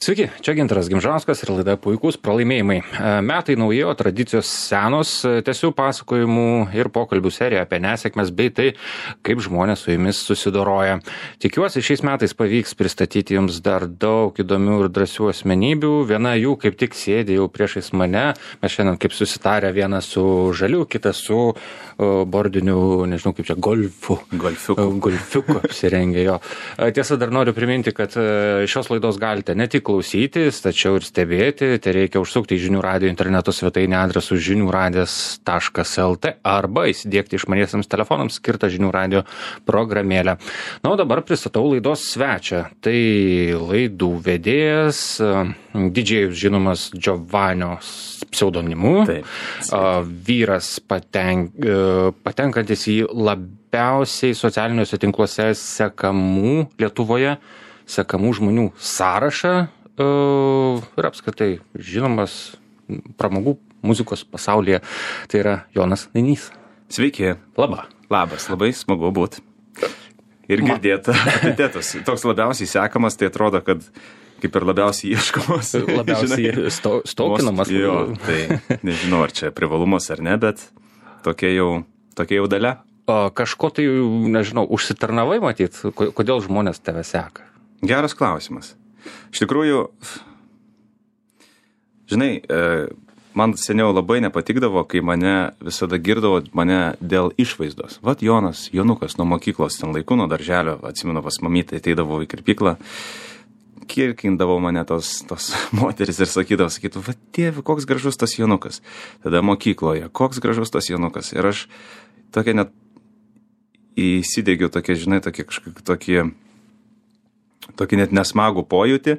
Sveiki, čia Gintaras Gimžauskas ir laida Puikūs pralaimėjimai. Metai nauji, o tradicijos senos, tęsiu pasakojimų ir pokalbių seriją apie nesėkmes bei tai, kaip žmonės su jumis susidoroja. Tikiuosi, šiais metais pavyks pristatyti jums dar daug įdomių ir drąsių asmenybių. Viena jų kaip tik sėdi jau priešais mane. Mes šiandien kaip susitarę, vienas su žaliu, kitas su bordiniu, nežinau kaip čia, golfiuku apsirengė jo. Tiesa, dar noriu priminti, kad šios laidos galite ne tik klausytis, tačiau ir stebėti. Tai reikia užsukti į Žinių radijo interneto svetainę adresu žiniųradijas.lt arba įsidiegti išmaniesiems telefonams skirtą Žinių radijo programėlę. Na, o dabar pristatau laidos svečią. Tai laidų vedėjas, didžėjus žinomas Giovanio pseudonimu, vyras patenkantis į labiausiai socialiniuose tinkluose Lietuvoje sekamų žmonių sąrašą ir apskritai žinomas pramogų muzikos pasaulyje. Tai yra Jonas Nainys. Sveiki. Labas, labai smagu būt. Ir girdėti epitetus. Toks labiausiai sekamas, tai atrodo, kad kaip ir labiausiai ieškomas. Labiausiai stokinamas. Jo, tai nežinau, ar čia privalumas ar ne, bet tokia jau dalia. Kažko tai, nežinau, užsitarnavai matyt, kodėl žmonės tave seka? Geras klausimas. Iš tikrųjų, žinai, man seniau labai nepatikdavo, kai mane visada girdavo mane dėl išvaizdos. Vat Jonukas nuo mokyklos ten laikų, nuo darželio, atsimenu, pas mamytę ateidavo į kirpyklą, kirkindavo mane tos moteris ir sakytų, va tėvi, koks gražus tas Jonukas. Tada mokykloje, koks gražus tas Jonukas. Ir aš tokia net įsidegiau tokį net nesmagų pojūtį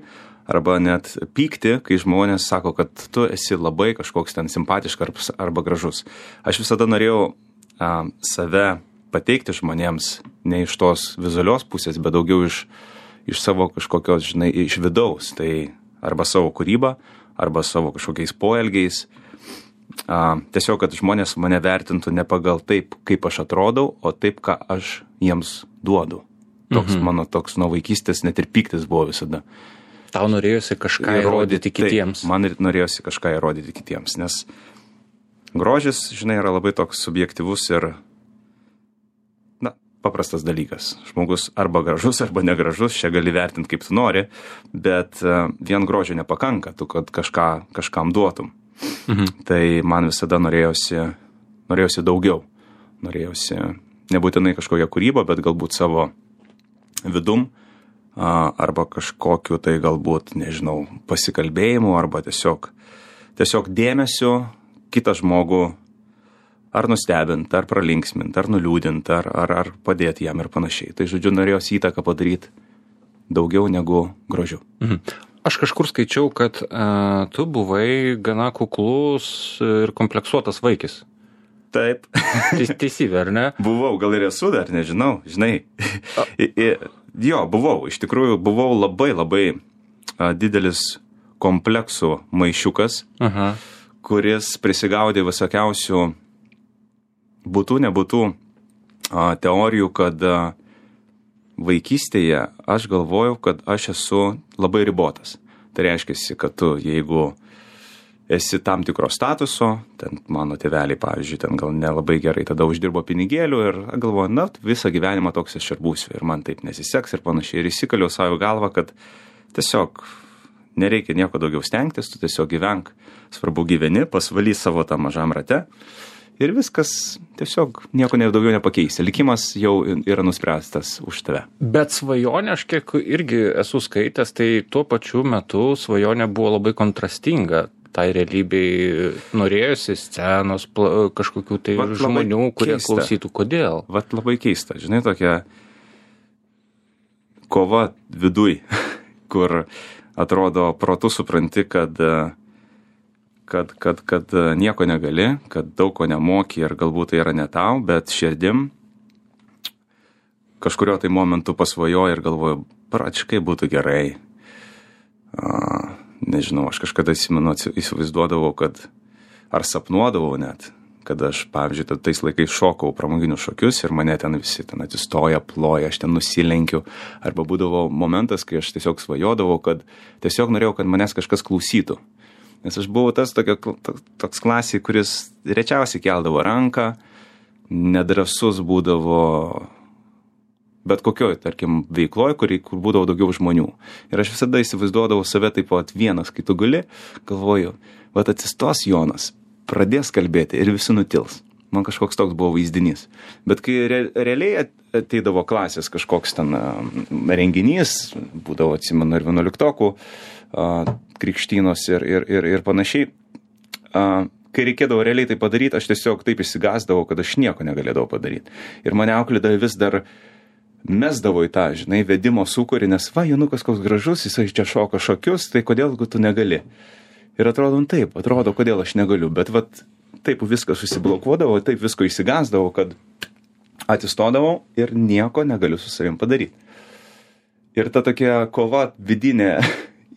arba net pykti, kai žmonės sako, kad tu esi labai kažkoks ten simpatiškas arba gražus. Aš visada norėjau save pateikti žmonėms ne iš tos vizualios pusės, bet daugiau iš savo kažkokios, žinai, iš vidaus. Tai arba savo kūrybą, arba savo kažkokiais poelgiais. Tiesiog, kad žmonės mane vertintų ne pagal taip, kaip aš atrodau, o taip, ką aš jiems duodu. Mano toks nuo vaikystės net ir pyktis buvo visada. Tau norėjosi kažką įrodyti kitiems. Taip, man norėjosi kažką įrodyti kitiems, nes grožis, žinai, yra labai toks subjektyvus ir, paprastas dalykas. Žmogus arba gražus, arba negražus, čia gali vertinti kaip tu nori, bet vien grožio nepakanka, tu kad kažkam duotum. Tai man visada norėjosi daugiau. Norėjosi nebūtinai kažkokią kūrybą, bet galbūt savo vidum, arba kažkokiu tai galbūt, nežinau, pasikalbėjimu, arba tiesiog dėmesiu kitą žmogų ar nustebint, ar pralinksmint, ar nuliūdint, ar padėti jam ir panašiai. Tai, žodžiu, norėjosi įtaką padaryti daugiau negu grožiu. Aš kažkur skaičiau, kad tu buvai gana kuklus ir kompleksuotas vaikis. Taip. Teisybė, ar ne? Buvau, gal ir esu dar, nežinau, žinai. Jo, buvau, iš tikrųjų buvau labai didelis kompleksų maišiukas, kuris prisigaudė visokiausių būtų, nebūtų teorijų, kad vaikystėje aš galvojau, kad aš esu labai ribotas. Tai reiškia, kad tu, jeigu esi tam tikro statuso, ten mano tėveliai, pavyzdžiui, ten gal nelabai gerai tada uždirbo pinigėlių ir galvoju, visą gyvenimą toks aš ir būsiu ir man taip nesiseks ir panašiai. Ir įsikaliau savo galvą, kad tiesiog nereikia nieko daugiau stengtis, tu tiesiog gyvenk, svarbu gyveni, pasvaly savo tą mažam rate ir viskas tiesiog nieko daugiau nepakeisi. Likimas jau yra nuspręstas už tave. Bet svajonė, aš kiek irgi esu skaitęs, tai tuo pačiu metu svajonė buvo labai kontrastinga. Tai realybei norėjosi scenos, kažkokių tai žmonių, kurie klausytų. Kodėl? Vat labai keista, žinai, tokia kova viduj, kur atrodo protu supranti, kad nieko negali, kad daug ko nemoki ir galbūt tai yra ne tau, bet širdim kažkurio tai momentu pasvajoji ir galvoju, pračikai būtų gerai. Nežinau, aš kažkada įsivaizduodavau, kad ar sapnuodavau net, kad aš, pavyzdžiui, tais laikais šokau pramoginius šokius ir mane ten visi ten atsistoja, ploja, aš ten nusilenkiu. Arba būdavo momentas, kai aš tiesiog svajodavau, kad tiesiog norėjau, kad manęs kažkas klausytų. Nes aš buvau toks klasėj, kuris rečiausiai keldavo ranką, nedrąsus būdavo bet kokioj, tarkim, veikloje, kur būdavo daugiau žmonių. Ir aš visada įsivaizduodavau save taip pat vienas, kai tu guli, galvoju, vat atsistos Jonas, pradės kalbėti ir visi nutils. Man kažkoks toks buvo vaizdinys. Bet kai realiai ateidavo klasės kažkoks ten renginys, būdavo, atsimenu, ir 11-okų, krikštynos ir panašiai, kai reikėdavo realiai tai padaryti, aš tiesiog taip išsigąsdavau, kad aš nieko negalėdavau padaryti. Ir mane auklėdavo vis dar mesdavo į tą, žinai, vedimo sūkurį, nes va, Jonukas koks gražus, jisai čia šoka šokius, tai kodėl tu negali? Ir atrodo, kodėl aš negaliu, bet vat taip viskas susiblokuodavo, taip visko išsigąsdavau, kad atsistodavau ir nieko negaliu su savim padaryti. Ir ta tokia kova vidinė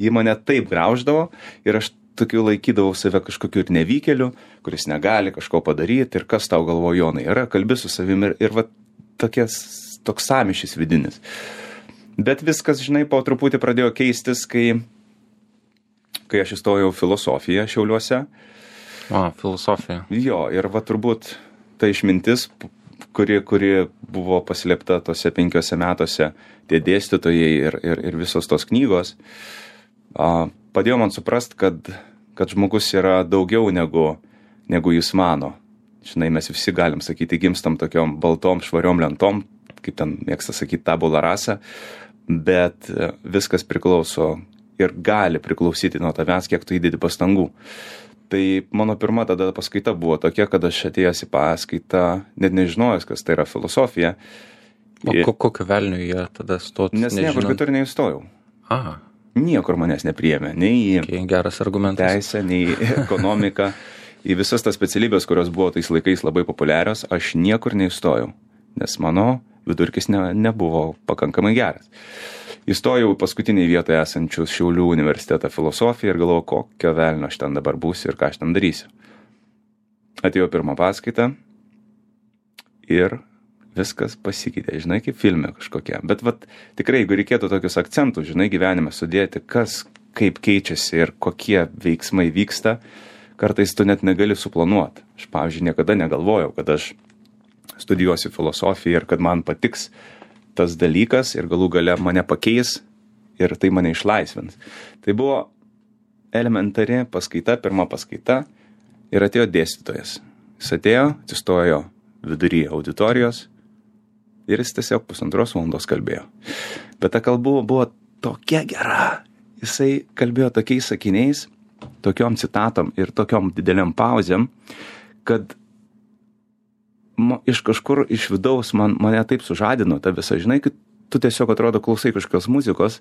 į mane taip grauždavo ir aš tokiu laikydavau save kažkokiu ir nevykėliu, kuris negali kažko padaryti ir kas tau galvo, Jonai, yra, kalbi su savimi ir va toks sąmyšis vidinis. Bet viskas, žinai, po truputį pradėjo keistis, kai aš įstojau filosofiją Šiauliuose. Filosofija. Jo, ir va turbūt ta išmintis, kuri buvo paslėpta tose 5 metuose, tie dėstytojai ir visos tos knygos, padėjo man suprast, kad žmogus yra daugiau negu jis mano. Žinai, mes visi galim sakyti, gimstam tokiom baltom, švariom lentom, kaip ten mėgsta sakyti, tabula rasa, bet viskas priklauso ir gali priklausyti nuo tavęs, kiek tu įdedi pastangų. Tai mano pirma tada paskaita buvo tokia, kad aš atėjęs į paskaitą, net nežinojęs, kas tai yra filosofija. Kokio velnio jie tada stot? Nes niekur kitur neįstojau. Aha. Niekur manęs nepriėmė, nei į geras argumentas. Teisę, nei į ekonomiką. Į visas tas specialybės, kurios buvo tais laikais labai populiarios, aš niekur neįstojau, nes mano vidurkis nebuvo pakankamai geras. Įstojau paskutiniai vietoje esančius Šiaulių universitetą filosofiją ir galvojau, kokio velnio aš ten dabar būsiu ir ką aš ten darysiu. Atėjau pirmą paskaitą ir viskas pasikeitė, žinai, kaip filme kažkokia. Bet tikrai, jeigu reikėtų tokius akcentus, žinai, gyvenime sudėti, kas kaip keičiasi ir kokie veiksmai vyksta, kartais tu net negali suplanuoti. Aš, pavyzdžiui, niekada negalvojau, kad aš studijuosiu filosofiją ir kad man patiks tas dalykas ir galų gale mane pakeis ir tai mane išlaisvins. Tai buvo elementari paskaita, pirma paskaita ir atėjo dėstytojas. Jis atėjo, atsistojo vidury auditorijos ir jis tiesiog 1,5 valandos kalbėjo. Bet ta kalba buvo tokia gera. Jisai kalbėjo tokiais sakiniais, tokiom citatom ir tokiom dideliam pauzėm, kad iš kažkur iš vidaus mane taip sužadino ta visa, žinai, kad tu tiesiog atrodo klausai kažkokios muzikos,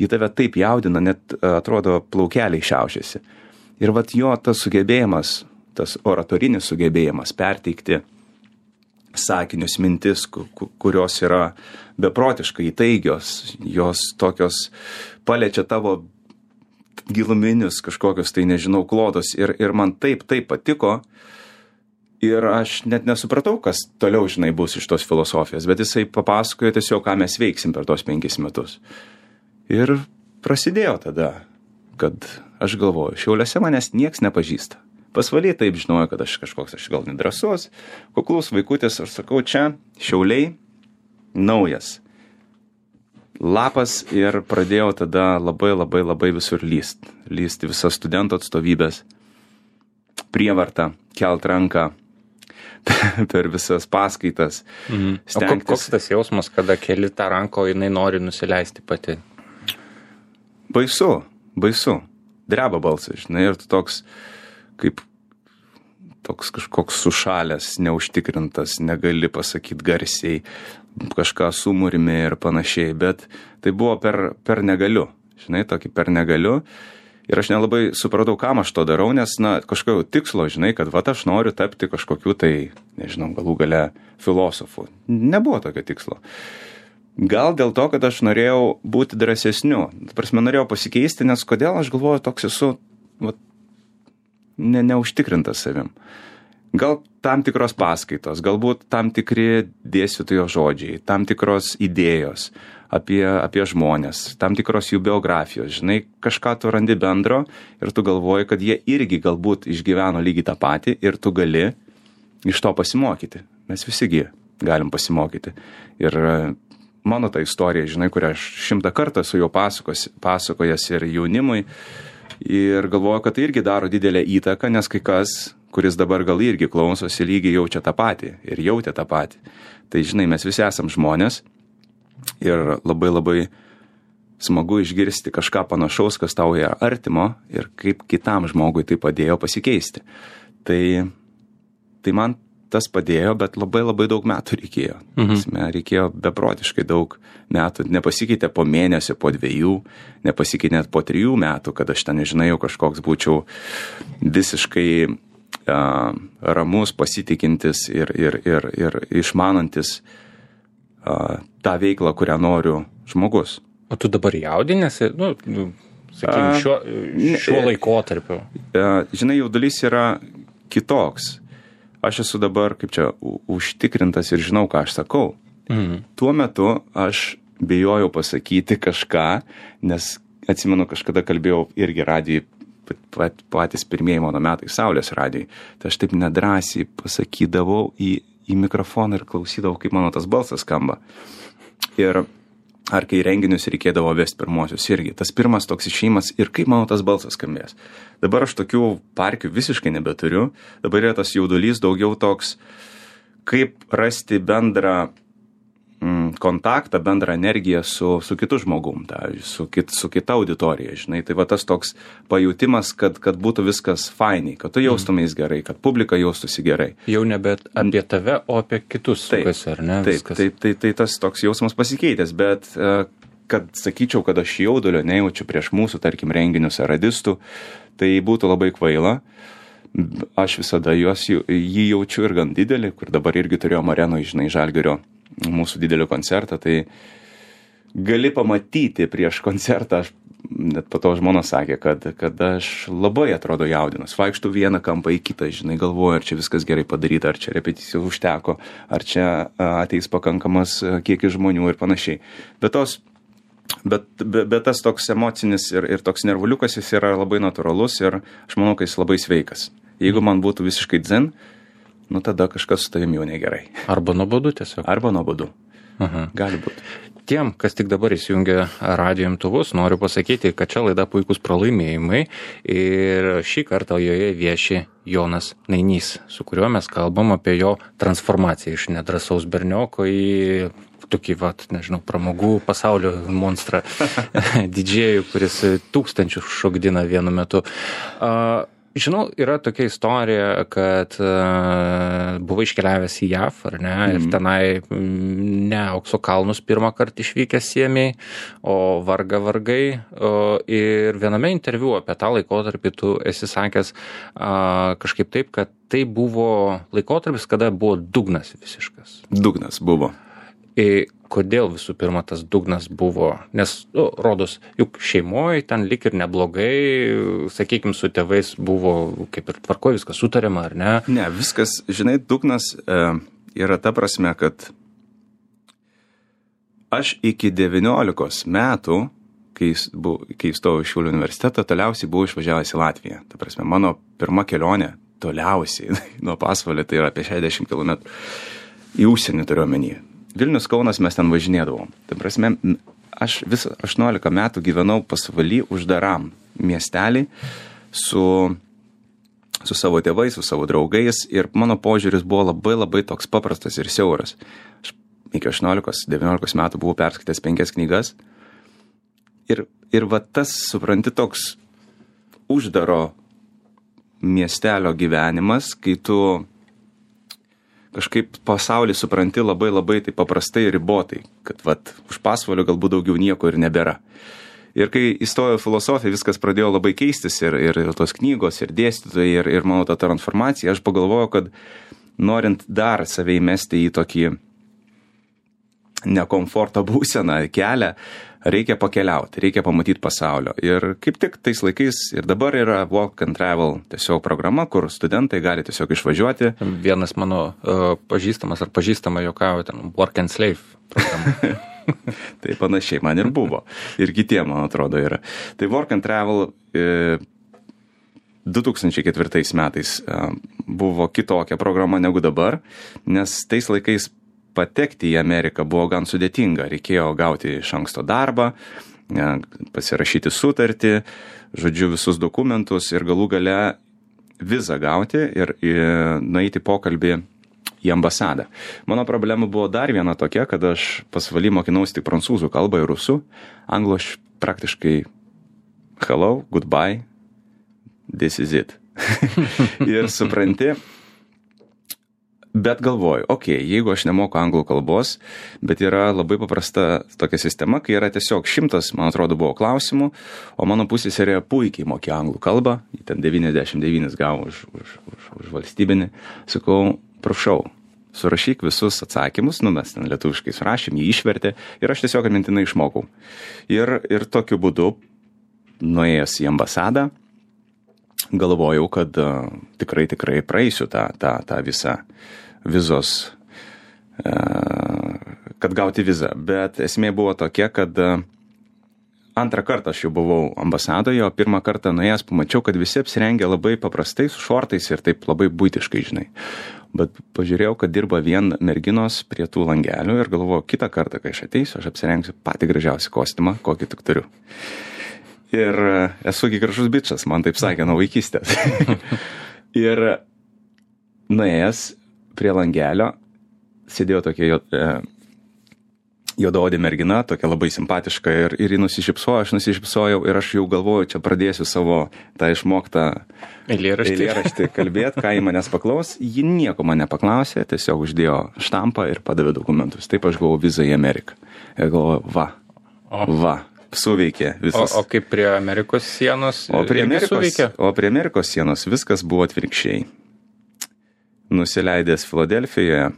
ji tave taip jaudina, net atrodo plaukeliai šiaušiasi. Ir jo tas sugebėjimas, tas oratorinis sugebėjimas perteikti sakinius, mintis, kurios yra beprotiškai įtaigios, jos tokios paliečia tavo giluminius kažkokios, tai nežinau, klodus ir man taip patiko. Ir aš net nesupratau, kas toliau, žinai, bus iš tos filosofijos, bet jisai papasakojo tiesiog, ką mes veiksim per tos 5 metus. Ir prasidėjo tada, kad aš galvoju, Šiauliuose manęs nieks nepažįsta. Pasvaly taip žinojo, kad aš gal nedrąsus, kuklus vaikutis, aš sakau, čia Šiauliai naujas lapas ir pradėjau tada labai visur lysti visas studentų atstovybės, prievartą, kelt ranką per visas paskaitas. Stengtis. O koks tas jausmas, kada keli tą ranką, jinai nori nusileisti pati? Baisu. Dreba balsas, žinai, ir tu toks kažkoks sušalęs, neužtikrintas, negali pasakyti garsiai, kažką sumurmi ir panašiai, bet tai buvo per negaliu, žinai, tokį per negaliu. Ir aš nelabai supratau, kam aš to darau, nes, kažkokio tikslo, žinai, kad aš noriu tapti kažkokiu tai, nežinau, galų gale filosofu. Nebuvo tokio tikslo. Gal dėl to, kad aš norėjau būti drąsesniu. Prasme, norėjau pasikeisti, nes kodėl aš galvoju, toks esu neužtikrintas savim. Gal tam tikros paskaitos, galbūt tam tikri dėstytojo žodžiai, tam tikros idėjos apie žmonės, tam tikros jų biografijos. Žinai, kažką tu randi bendro ir tu galvoji, kad jie irgi galbūt išgyveno lygiai tą patį ir tu gali iš to pasimokyti. Mes visigi galim pasimokyti. Ir mano ta istorija, žinai, kurią aš 100 kartą su juo pasakojęs ir jaunimui ir galvoju, kad tai irgi daro didelę įtaką, nes kai kas, kuris dabar gal irgi klausosi, lygiai jaučia tą patį ir jautė tą patį. Tai žinai, mes visi esam žmonės ir labai labai smagu išgirsti kažką panašaus, kas tau yra artimo ir kaip kitam žmogui tai padėjo pasikeisti. Tai man tas padėjo, bet labai labai daug metų reikėjo. Reikėjo beprotiškai daug metų. Nepasikeitė po mėnesio, po 2, nepasikeitė net po 3 metų, kad aš ten, nežinau, kažkoks būčiau visiškai ramus, pasitikintis ir išmanantis tą veiklą, kurią noriu žmogus. O tu dabar jaudinėsi, sakykime, šiuo laikotarpiu? Žinai, jaudulys yra kitoks. Aš esu dabar, kaip čia, užtikrintas ir žinau, ką aš sakau. Tuo metu aš bijojau pasakyti kažką, nes atsimenu, kažkada kalbėjau irgi radijai, patys pirmieji mano metai Saulės radijai. Tai aš taip nedrąsiai pasakydavau į mikrofoną ir klausydavau, kaip mano tas balsas skamba. Ir ar kai renginius reikėdavo vesti pirmosius irgi. Tas pirmas toks išėjimas ir kaip mano tas balsas skambės. Dabar aš tokių parkių visiškai nebeturiu. Dabar yra tas jaudulys daugiau toks, kaip rasti bendrą kontaktą, bendrą energiją su kitu žmogum, su kita auditorija, žinai. Tai va tas toks pajutimas, kad būtų viskas fainiai, kad tu jaustumės gerai, kad publika jaustųsi gerai. Jau nebe apie tave, o apie kitus sukasi, ar ne? Tai tas toks jausmas pasikeitęs, bet kad sakyčiau, kad aš jaudulio nejaučiu prieš mūsų, tarkim, renginius ar radistų, tai būtų labai kvaila. Aš visada jį jaučiu ir gan didelį, kur dabar irgi turėjom Arenoje, žinai, Žalgirio mūsų didelį koncertą, tai gali pamatyti prieš koncertą, aš net po to žmona sakė, kad aš labai atrodo jaudinus, vaikštų vieną kampą į kitą, žinai, galvoju, ar čia viskas gerai padaryta, ar čia repeticijų užteko, ar čia ateis pakankamas kiekis žmonių ir panašiai. Bet tas toks emocinis ir toks nervuliukas, jis yra labai natūralus ir aš manau, kad jis labai sveikas. Jeigu man būtų visiškai dzen, tada kažkas su tavim jau negerai. Arba nuobodu tiesiog. Arba nuobodu. Gali būti. Tiem, kas tik dabar įsijungia radijo imtuvus, noriu pasakyti, kad čia laida Puikūs pralaimėjimai ir šį kartą joje vieši Jonas Nainys, su kuriuo mes kalbam apie jo transformaciją iš nedrąsaus bernioko į tokį, nežinau, pramogų pasaulio monstrą, didžėjų, kuris tūkstančius šokdina vienu metu. Žinau, yra tokia istorija, kad buvo iškeliavęs į JAV, ar ne, ir tenai ne aukso kalnus pirmą kartą išvykęs siemiai, o vargai. Ir viename interviu apie tą laikotarpį tu esi sakęs kažkaip taip, kad tai buvo laikotarpis, kada buvo dugnas visiškas. Dugnas buvo. Kodėl visų pirma tas dugnas buvo? Nes, rodos, juk šeimoje ten lik ir neblogai, sakykime, su tėvais buvo kaip ir tvarko, viskas sutariama, ar ne? Ne, viskas, žinai, dugnas yra ta prasme, kad aš iki 19 metų, kai įstojau į Šiaulių universitetą, toliausiai buvau išvažiavęs į Latviją. Ta prasme, mano pirma kelionė toliausiai nuo Pasvalio, tai yra apie 60 km į užsienį turiu omenyje. Vilnius, Kaunas mes ten važinėdavom. Tai prasme, aš visą 18 metų gyvenau Pasvaly uždaram miestelį su savo tėvais, su savo draugais ir mano požiūris buvo labai labai toks paprastas ir siauras. Aš iki 18-19 metų buvau perskaitęs 5 knygas ir va tas, supranti, toks uždaro miestelio gyvenimas, kai tu kažkaip pasaulį supranti labai labai taip paprastai ir ribotai, kad už Pasvalio galbūt daugiau nieko ir nebėra. Ir kai įstojau filosofiją, viskas pradėjo labai keistis ir tos knygos, ir dėstytojai, ir mano ta transformacija, aš pagalvojau, kad norint dar save įmesti į tokį nekomforto būseną, kelią, reikia pakeliauti, reikia pamatyti pasaulio. Ir kaip tik tais laikais ir dabar yra Work and Travel tiesiog programa, kur studentai gali tiesiog išvažiuoti. Vienas mano pažįstamas ar pažįstama juokavo ten Work and Slave programa. Tai panašiai man ir buvo. Ir kitiem, man atrodo, yra. Tai Work and Travel 2004 metais buvo kitokia programa negu dabar, nes tais laikais patekti į Ameriką buvo gan sudėtinga. Reikėjo gauti iš anksto darbą, pasirašyti sutartį, žodžiu, visus dokumentus ir galų gale vizą gauti ir nueiti pokalbį į ambasadą. Mano problema buvo dar viena tokia, kad aš pasvaly mokinausi tik prancūzų kalbą ir rusų. Anglų aš praktiškai hello, goodbye, this is it. Ir supranti, bet galvoju, jeigu aš nemoku anglų kalbos, bet yra labai paprasta tokia sistema, kai yra tiesiog 100, man atrodo, buvo klausimų, o mano pusseserė puikiai mokė anglų kalbą, ji ten 99 gavo už valstybinį. Sakau, prašau, surašyk visus atsakymus, mes ten lietuviškai surašėm, jį išvertė ir aš tiesiog mintinai išmokau. Ir tokiu būdu, nuėjęs į ambasadą, galvojau, kad tikrai praeisiu tą visą vizos, kad gauti vizą. Bet esmė buvo tokia, kad antrą kartą aš jau buvau ambasadoje, o pirmą kartą nuėjęs pamačiau, kad visi apsirengę labai paprastai, su šortais ir taip labai buitiškai, žinai. Bet pažiūrėjau, kad dirba vien merginos prie tų langelių ir galvoju, kitą kartą, kai aš ateisiu, aš apsirengsiu patį gražiausią kostiumą, kokį tik turiu. Ir esu gražus bičas, man taip sakė nuo vaikystės. Ir nuėjęs prie langelio sėdėjo tokia juodaodė mergina, tokia labai simpatiška ir ji nusišypsojo, aš nusišypsojau ir aš jau galvoju, čia pradėsiu savo tą išmoktą eilėraštį kalbėti, ką ji manęs paklaus. Ji nieko man nepaklausė, tiesiog uždėjo štampą ir padavė dokumentus. Taip aš gavau vizą į Ameriką. Ir galvoju, va. Suveikė visas. O kaip prie Amerikos sienos? O prie Amerikos sienos viskas buvo atvirkščiai. Nusileidęs Filadelfijoje.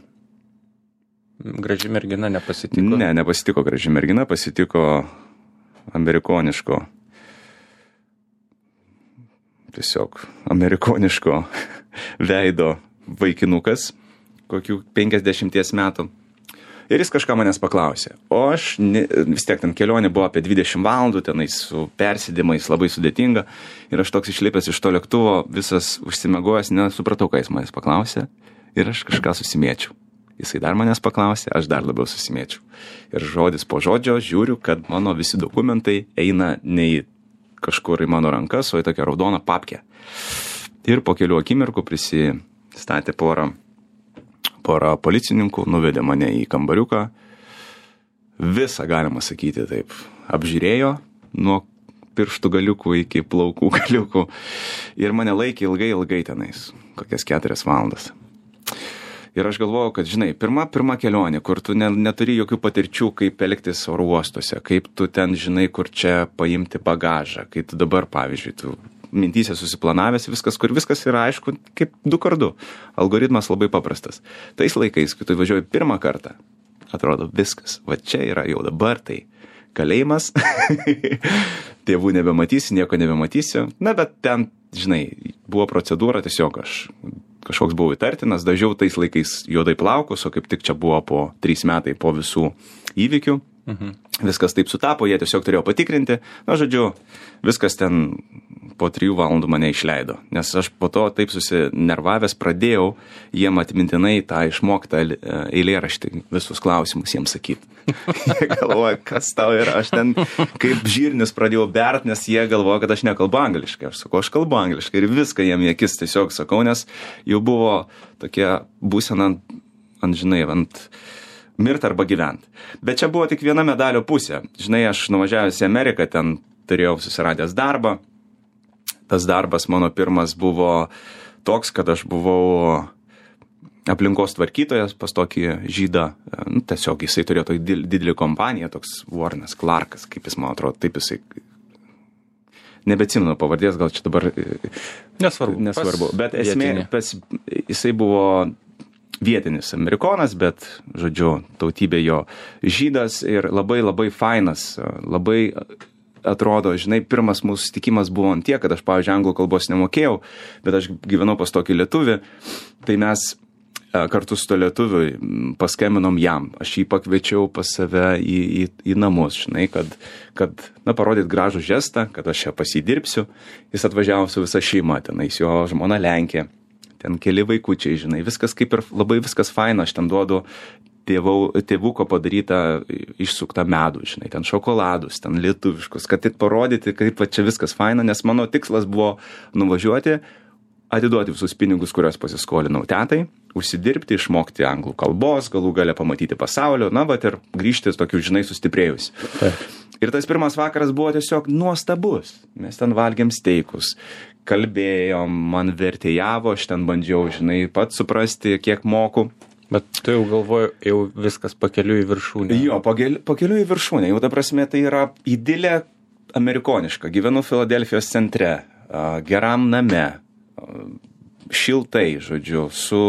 Graži mergina nepasitiko? Ne, nepasitiko graži mergina, pasitiko amerikoniško veido vaikinukas, kokių 50 metų. Ir jis kažką manęs paklausė. O aš vis tiek ten kelionė buvo apie 20 valandų, tenais su persėdimais labai sudėtinga. Ir aš toks išlipęs iš to lėktuvo, visas užsimegojęs, nesupratau, ką jis manęs paklausė. Ir aš kažką susimėčiau. Jisai dar manęs paklausė, aš dar labiau susimėčiau. Ir žodis po žodžio žiūriu, kad mano visi dokumentai eina ne į kažkur į mano rankas, o į tokią raudoną papkę. Ir po kelių akimirkų prisistatė porą policininkų, nuvedė mane į kambariuką, visą, galima sakyti, taip, apžiūrėjo nuo pirštų galiukų iki plaukų galiukų ir mane laikė ilgai tenais, kokias 4 valandas. Ir aš galvojau, kad, žinai, pirma kelionė, kur tu neturi jokių patirčių, kaip elgtis oro uostuose, kaip tu ten, žinai, kur čia paimti bagažą, kai tu dabar, pavyzdžiui, tu mintyse susiplanavęs viskas yra aišku, kaip 2x2. Algoritmas labai paprastas. Tais laikais, kai tu važiuoji pirmą kartą, atrodo viskas. Va čia yra jau dabar tai kalėjimas. Tėvų nebematysi, nieko nebematysi. Na, bet ten, žinai, buvo procedūra, tiesiog aš kažkoks buvau įtartinas, dažiau tais laikais juodai plaukus, o kaip tik čia buvo po 3 metai po visų įvykių. Viskas taip sutapo, jie tiesiog turėjo patikrinti. Na, žodžiu, viskas ten po 3 valandų mane išleido. Nes aš po to taip susinervavęs pradėjau jiem atmintinai tą išmoktą eilėraštį, visus klausimus jiems sakyti. Jie galvoja, kas tau yra. Aš ten kaip žirnis pradėjau bert, nes jie galvoja, kad aš nekalbu angliškai. Aš sakau, aš kalbu angliškai ir viską jiem į akis tiesiog sakau, nes jau buvo tokia būsena ant mirt arba gyvent. Bet čia buvo tik viena medalio pusė. Žinai, aš nuvažiavęs į Ameriką, ten turėjau susiradęs darbą. Tas darbas mano pirmas buvo toks, kad aš buvau aplinkos tvarkytojas pas tokį žydą. Tiesiog jisai turėjo tokį didelį kompaniją, toks Warrenas Clarkas, kaip jis man atrodo, taip jisai... Nebeatsimenu pavardės, gal čia dabar... Nesvarbu. Bet esmė, jisai buvo vietinis amerikonas, bet, žodžiu, tautybė jo žydas ir labai labai fainas, labai atrodo, žinai, pirmas mūsų susitikimas buvo ant tiek, kad aš, pavyzdžiui, anglų kalbos nemokėjau, bet aš gyvenau pas tokį lietuvį, tai mes kartu su to lietuviui paskambinom jam. Aš jį pakviečiau pas save į namus, žinai, kad parodyt gražų žestą, kad aš čia pasidirbsiu. Jis atvažiavo su visa šeima, tenais jo žmona Lenkė, ten keli vaikučiai, žinai, viskas kaip ir labai viskas faina, aš ten duodu tėvuko padarytą išsuktą medų, žinai, ten šokoladus, ten lietuviškus, kad tik parodyti, kaip čia viskas faina, nes mano tikslas buvo nuvažiuoti, atiduoti visus pinigus, kuriuos pasiskolinau tetai, užsidirbti, išmokti anglų kalbos, galų gale pamatyti pasaulio, ir grįžti tokiu, žinai, sustiprėjus. Ir tas pirmas vakaras buvo tiesiog nuostabus. Mes ten valgėm steikus, kalbėjom, man vertėjavo, aš ten bandžiau, žinai, pats suprasti, kiek moku. Bet tu jau galvoju, jau viskas pakeliu į viršūnę. Jo, pakeliu į viršūnę. Jau ta prasme, tai yra idilė amerikoniška. Gyvenu Filadelfijos centre, geram name, šiltai, žodžiu, su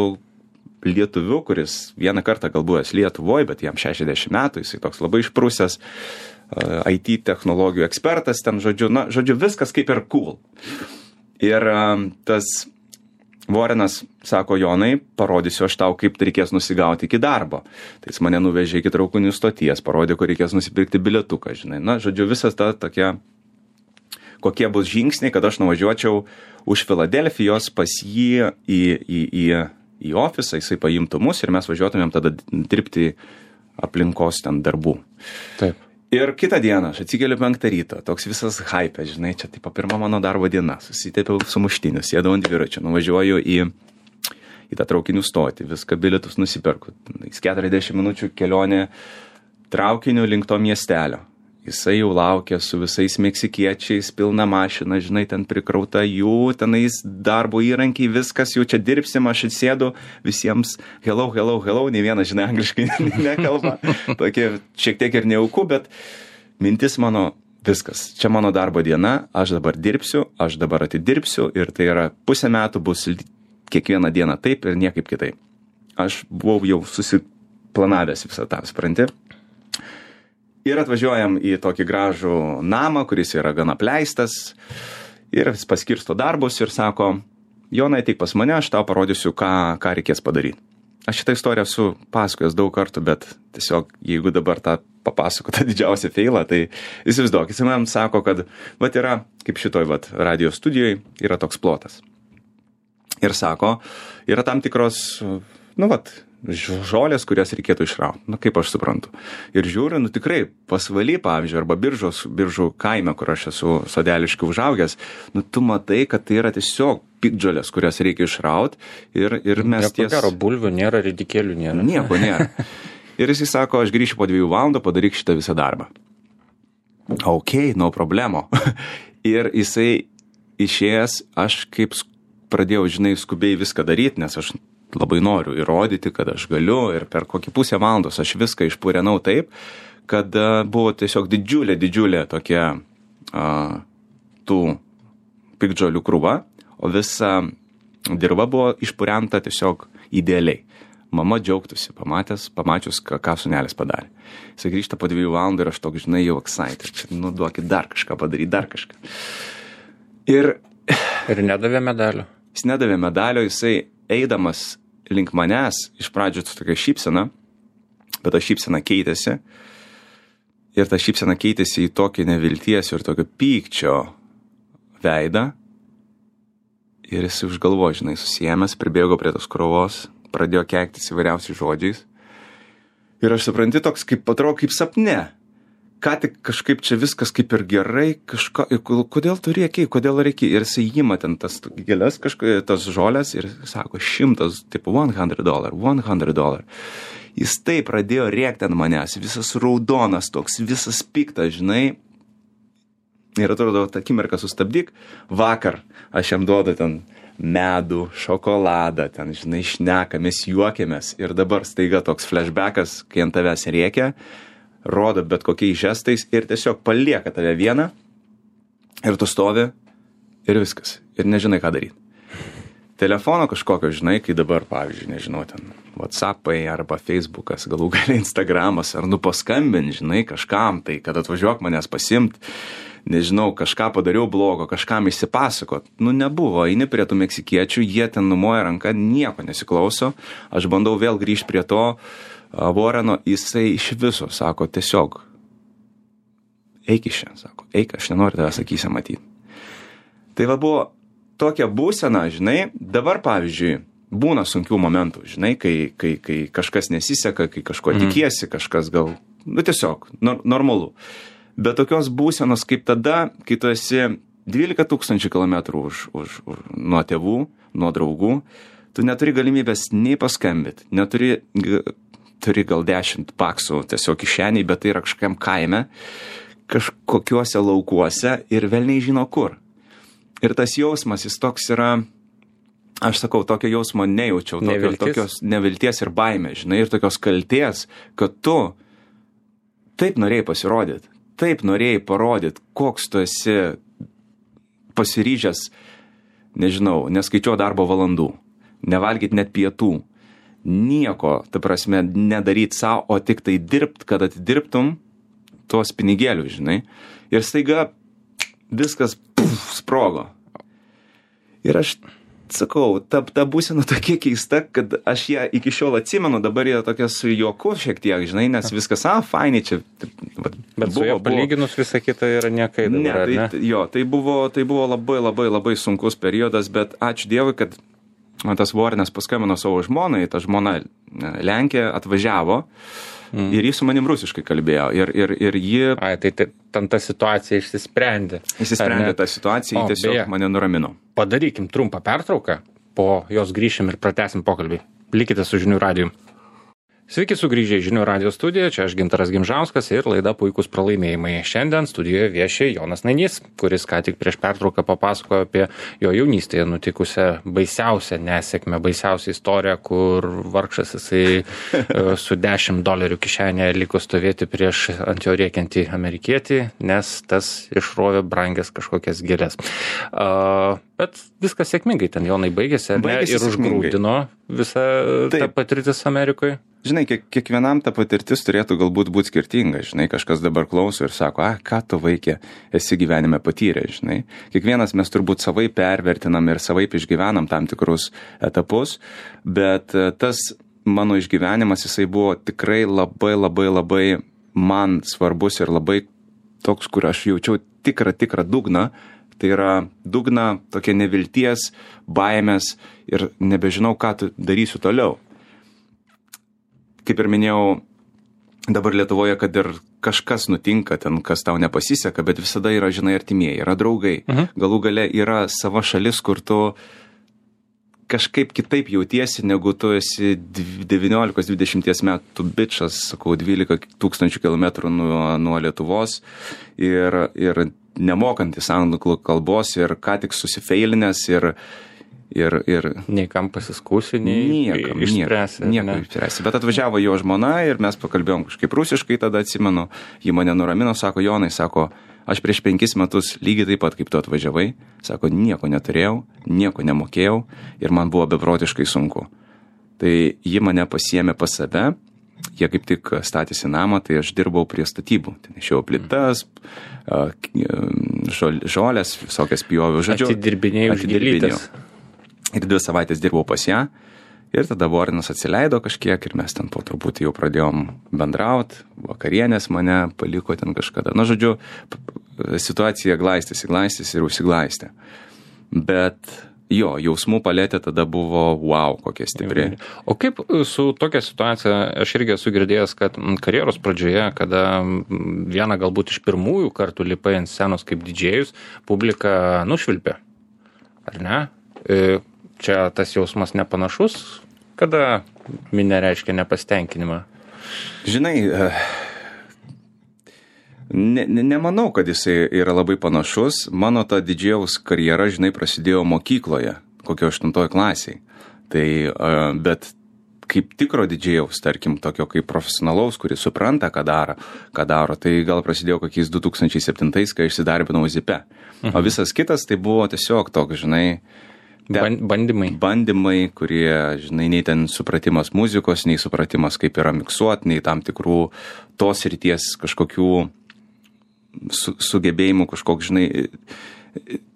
lietuviu, kuris vieną kartą galbuvęs Lietuvoje, bet jam 60 metų, jisai toks labai išprusęs, IT technologijų ekspertas, ten, žodžiu, viskas kaip ir cool. Ir tas Vorenas sako, Jonai, parodysiu aš tau, kaip reikės nusigauti iki darbo. Tai jis mane nuvežė iki traukinių stoties, parodė, kur reikės nusipirkti bilietuką, žinai. Žodžiu, visas ta tokia, kokie bus žingsniai, kad aš nuvažiuočiau už Filadelfijos pas jį į ofisą, jisai paimtų mus ir mes važiuotumėm tada dirbti aplinkos ten darbų. Taip. Ir kitą dieną aš atsikeliu 5 ryto, toks visas hype, žinai, čia taip pirma mano darbo diena, susitepiau sumuštinius, sėdau ant dviračio, nuvažiuoju į tą traukinių stotį, viską bilietus nusiperku, 40 minučių kelionė traukiniu link to miestelio. Jisai jau laukia su visais meksikiečiais, pilna mašina, žinai, ten prikrauta jų, tenais darbo įrankiai, viskas, jau čia dirbsim, aš atsėdu visiems hello, ne vienas, žinai, angliškai nekalba, tokie šiek tiek ir neauku, bet mintis mano, viskas, čia mano darbo diena, aš dabar dirbsiu, aš dabar atidirbsiu ir tai yra pusę metų bus kiekvieną dieną taip ir niekaip kitaip. Aš buvau jau susiplanavęs visą tą, supranti? Ir atvažiuojam į tokį gražų namą, kuris yra gana apleistas, ir jis paskirsto darbus ir sako, Jonai, ateik pas mane, aš tau parodysiu, ką reikės padaryti. Aš šitą istoriją esu pasakojęs daug kartų, bet tiesiog, jeigu dabar tą papasakotą didžiausią feilą, tai įsivaizduok, jis man sako, kad yra, kaip šitoj radio studijoje, yra toks plotas. Ir sako, yra tam tikros, žolės, kurias reikėtų išrauti, kaip aš suprantu. Ir žiūriu, tikrai pasvaly, pavyzdžiui, arba biržų kaime, kur aš esu sodeliškai užaugęs, tu matai, kad tai yra tiesiog piktžolės, kurias reikia išrauti ir mes ties... Gero bulvių nėra, ridikėlių nėra. Nieko nėra. Ir jis sako, aš grįšiu po 2 valandų, padaryk šitą visą darbą. Ok, no problemo. Ir jisai išėjęs, aš kaip pradėjau, žinai, skubiai viską daryti, nes aš labai noriu įrodyti, kad aš galiu ir per kokį pusę valandos aš viską išpurenau taip, kad buvo tiesiog didžiulė tokia tų piktžolių krūva, o visa dirva buvo išpurenta tiesiog idealiai. Mama džiaugtųsi, pamačius, ką sūnelis padarė. Jis grįžta po 2 valandų ir aš toks, žinai, jau excited. Duokit dar kažką padaryti, dar kažką. Ir nedavė medalio. Jis nedavė medalio, jisai eidamas link manęs, iš pradžių tokia šypsena, bet ta šypsena keitėsi. Ir ta šypsena keitėsi į tokį nevilties ir tokio pykčio veidą. Ir jis užgalvo, žinai, susiėmęs, pribėgo prie tos krovos, pradėjo keiktis įvairiausiais žodžiais. Ir aš supranti toks, atrodo kaip sapne. Ką tik kažkaip čia viskas kaip ir gerai, kodėl tu rėkiai, kodėl reikia. Ir jis įima ten tas gėlės, tas žolės ir sako, 100, tipo $100. Jis taip pradėjo rėkti ant manęs, visas raudonas toks, visas piktas, žinai. Ir atrodo, tą akimirką sustabdyk, vakar aš jam duodu ten medų, šokoladą, ten, žinai, šnekamės, juokiamės. Ir dabar staiga toks flashbackas, kai ant tavęs rėkia, rodo bet kokiais žestais ir tiesiog palieka tave vieną ir tu stovi ir viskas. Ir nežinai, ką daryti. Telefono kažkokio, žinai, kai dabar, pavyzdžiui, nežinau, ten WhatsAppai arba Facebookas, galų gale Instagramas, ar paskambint, žinai, kažkam, tai kad atvažiuok manęs pasimt, nežinau, kažką padariau blogo, kažkam išsipasakot. Nebuvo, eini prie tų meksikiečių, jie ten numoja ranką, nieko nesiklauso, aš bandau vėl grįžti prie to Warreno, jisai iš viso sako, tiesiog, eik iš čia, sako, eik, aš nenoriu tavęs akyse matyti. Tai va buvo tokia būsena, žinai, dabar pavyzdžiui, būna sunkių momentų, žinai, kai kažkas nesiseka, kai kažko tikiesi, kažkas gal, tiesiog, normalu. Bet tokios būsenos kaip tada, kai tu esi 12 000 kilometrų nuo tėvų, nuo draugų, tu neturi galimybės nei paskambit, turi gal 10 paksų tiesiog kišeniai, bet tai yra kažkam kaime, kažkokiuose laukuose ir velniai žino kur. Ir tas jausmas, jis toks yra, aš sakau, tokio jausmo nejaučiau, tokios nevilties ir baimė, žinai, ir tokios kaltės, kad tu taip norėjai pasirodyti, taip norėjai parodyti, koks tu esi pasiryžęs, nežinau, neskaičiuo darbo valandų, nevalgyti net pietų, nieko, ta prasme, nedaryti savo, o tik tai dirbt, kad atidirbtum tuos pinigėlius, žinai, ir staiga viskas sprogo. Ir aš sakau, ta būsena tokia keista, kad aš ją iki šiol atsimenu, dabar jie tokia su juoku šiek tiek, žinai, nes viskas, fainai čia. Bet su jo palyginus visą kitą yra niekai dabar, ne? Jo, tai buvo labai sunkus periodas, bet ačiū Dievui, kad tas Warrenas paskambino savo žmonai, ta žmona Lenkė atvažiavo. Ir jis su manim rusiškai kalbėjo. Ir ji... Tai ten ta situacija išsisprendė. Išsisprendė tą situaciją, jį tiesiog mane nuramino. Padarykim trumpą pertrauką, po jos grįšim ir pratęsim pokalbį. Likite su Žinių radiju. Sveiki sugrįžę į Žinių radijo studiją, čia aš Gintaras Gimžauskas ir laida Puikūs pralaimėjimai. Šiandien studijoje vieši Jonas Nainys, kuris ką tik prieš pertrauką papasakojo apie jo jaunystėje nutikusią baisiausią nesėkmę, baisiausią istoriją, kur vargšas jisai su $10 kišenėje liko stovėti prieš ant jo rėkiantį amerikietį, nes tas išrovė brangias kažkokias gėlės. Bet viskas sėkmingai ten Jonai baigėsi ir užgrūdino visą tą patirtis Amerikoje. Žinai, kiekvienam ta patirtis turėtų galbūt būti skirtinga, žinai, kažkas dabar klauso ir sako, ką tu vaikė esi gyvenime patyrę, žinai. Kiekvienas mes turbūt savai pervertinam ir savai išgyvenam tam tikrus etapus, bet tas mano išgyvenimas, jisai buvo tikrai labai man svarbus ir labai toks, kur aš jaučiau tikrą dugną. Tai yra dugna, tokia nevilties, baimės ir nebežinau, ką darysiu toliau. Kaip ir minėjau, dabar Lietuvoje, kad ir kažkas nutinka ten, kas tau nepasiseka, bet visada yra, žinai, artimieji, yra draugai. Galų gale yra sava šalis, kur tu kažkaip kitaip jautiesi, negu tu esi 19-20 metų bičas, sakau, 12 000 kilometrų nuo Lietuvos ir nemokantis anglų kalbos ir ką tik susifeilinęs ir nei kam pasiskūsi, nei išspręsi. Nieko išspręsi. Bet atvažiavo jo žmona ir mes pakalbėjom kažkaip rusiškai, tada atsimenu, ji mane nuramino, sako, Jonai, sako, aš prieš 5 metus lygiai taip pat kaip tu atvažiavai, sako, nieko neturėjau, nieko nemokėjau ir man buvo beprotiškai sunku. Tai ji mane pasiėmė pas save, jie kaip tik statėsi namą, tai aš dirbau prie statybų. Tai nešiau plytas, žolės, visokias pjoviau, žodžiu. Atidirbinėjau gėlytes. Ir 2 savaitės dirbau pas ją. Ir tada Warrenas atsileido kažkiek ir mes ten po truputį jau pradėjom bendraut. Vakarienės mane paliko ten kažkada. Na, žodžiu, situacija glaistėsi ir užsiglaistė. Bet jo, jausmų paletė tada buvo wow, kokia stipri. O kaip su tokia situacija, aš irgi esu girdėjęs, kad karjeros pradžioje, kada vieną galbūt iš pirmųjų kartų lipai ant scenos kaip didžėjus, publika nušvilpė. Ar ne? Čia tas jausmas nepanašus, kada minė reiškia nepasitenkinimą? Žinai, nemanau, kad jisai yra labai panašus. Mano ta didžėjaus karjera, žinai, prasidėjo mokykloje, kokio 8 klasiai. Tai, bet kaip tikro didžėjaus, tarkim, tokio kaip profesionalaus, kuris supranta, ką daro, tai gal prasidėjo kokiais 2007, kai išsidarbinau Zipe. O visas kitas tai buvo tiesiog toks, žinai, Bandymai, kurie, žinai, nei ten supratimas muzikos, nei supratimas, kaip yra miksuot, nei tam tikrų tos ryties kažkokių sugebėjimų, žinai,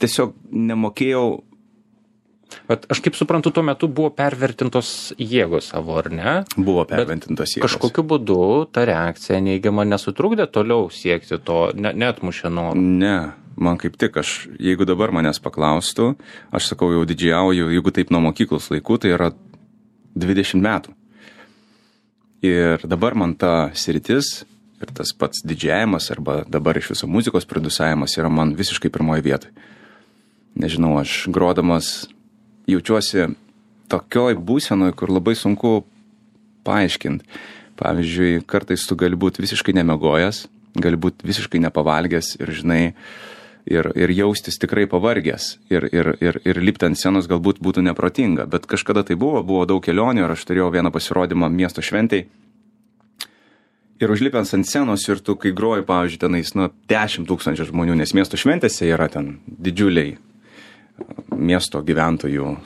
tiesiog nemokėjau. Bet aš kaip suprantu, tuo metu buvo pervertintos jėgos savo, ar ne? Buvo pervertintos jėgos. Kažkokiu būdu ta reakcija neigiama nesutrukdė toliau siekti to, neatmušė nuo... Ne, man kaip tik, jeigu dabar manęs paklaustų, aš sakau, jau didžiauju, jeigu taip nuo mokyklos laikų, tai yra 20 metų. Ir dabar man ta sritis ir tas pats didžiavimas arba dabar iš viso muzikos produsavimas yra man visiškai pirmoje vietoje. Nežinau, aš grodamas jaučiuosi tokioj būsenoj, kur labai sunku paaiškinti. Pavyzdžiui, kartais tu gali būti visiškai nemegojęs, gali būti visiškai nepavalgęs ir, žinai, ir jaustis tikrai pavargęs. Ir lipti ant scenos galbūt būtų neprotinga. Bet kažkada tai buvo daug kelionių ir aš turėjau vieną pasirodymą miesto šventėj. Ir užlipęs ant scenos ir tu, kai groji, pavyzdžiui, tenais 10 000 žmonių, nes miesto šventėse yra ten didžiuliai miesto gyventojų